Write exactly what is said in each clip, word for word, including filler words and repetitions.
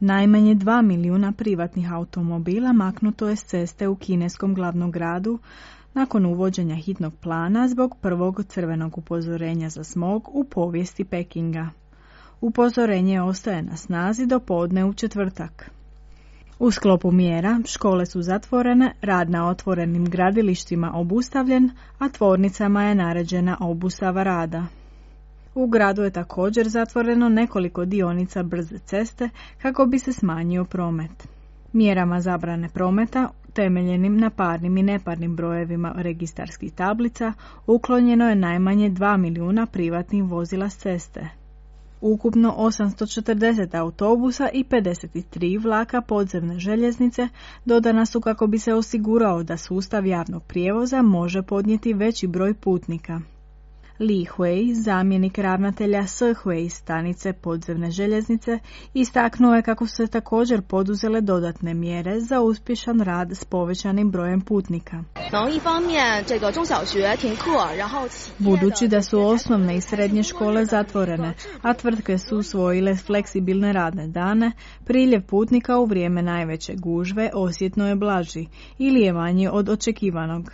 Najmanje dva milijuna privatnih automobila maknuto je s ceste u kineskom glavnom gradu nakon uvođenja hitnog plana zbog prvog crvenog upozorenja za smog u povijesti Pekinga. Upozorenje ostaje na snazi do podne u četvrtak. U sklopu mjera škole su zatvorene, rad na otvorenim gradilištima obustavljen, a tvornicama je naređena obustava rada. U gradu je također zatvoreno nekoliko dionica brze ceste kako bi se smanjio promet. Mjerama zabrane prometa, temeljenim na parnim i neparnim brojevima registarskih tablica, uklonjeno je najmanje dva milijuna privatnih vozila s ceste. Ukupno osamsto četrdeset autobusa i pedeset tri vlaka podzemne željeznice dodana su kako bi se osigurao da sustav javnog prijevoza može podnijeti veći broj putnika. Li Hui, zamjenik ravnatelja Sihui stanice podzemne željeznice, istaknuo je kako su se također poduzele dodatne mjere za uspješan rad s povećanim brojem putnika. Budući da su osnovne i srednje škole zatvorene, a tvrtke su usvojile fleksibilne radne dane, priljev putnika u vrijeme najveće gužve osjetno je blaži ili je manji od očekivanog.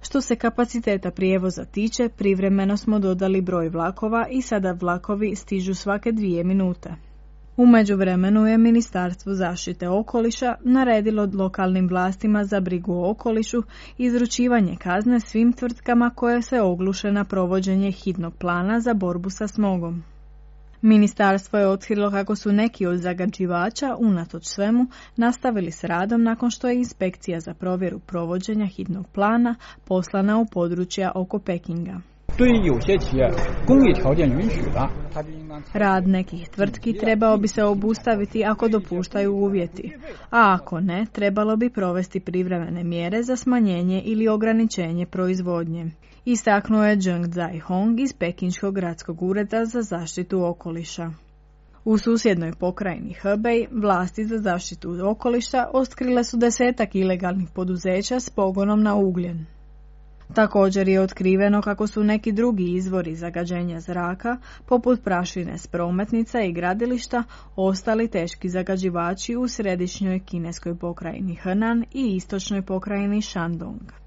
Što se kapaciteta prijevoza tiče, privremeno smo dodali broj vlakova i sada vlakovi stižu svake dvije minute. U međuvremenu je Ministarstvo zaštite okoliša naredilo lokalnim vlastima za brigu o okolišu izručivanje kazne svim tvrtkama koje se ogluše na provođenje hitnog plana za borbu sa smogom. Ministarstvo je otkrilo kako su neki od zagađivača, unatoč svemu, nastavili s radom nakon što je inspekcija za provjeru provođenja hitnog plana poslana u područja oko Pekinga. Rad nekih tvrtki trebao bi se obustaviti ako dopuštaju uvjeti, a ako ne, trebalo bi provesti privremene mjere za smanjenje ili ograničenje proizvodnje. Istaknuo je Zheng Zai-hong iz Pekinškog gradskog ureda za zaštitu okoliša. U susjednoj pokrajini Hebei vlasti za zaštitu okoliša otkrile su desetak ilegalnih poduzeća s pogonom na ugljen. Također je otkriveno kako su neki drugi izvori zagađenja zraka, poput prašine s prometnica i gradilišta, ostali teški zagađivači u središnjoj kineskoj pokrajini Henan i istočnoj pokrajini Shandong.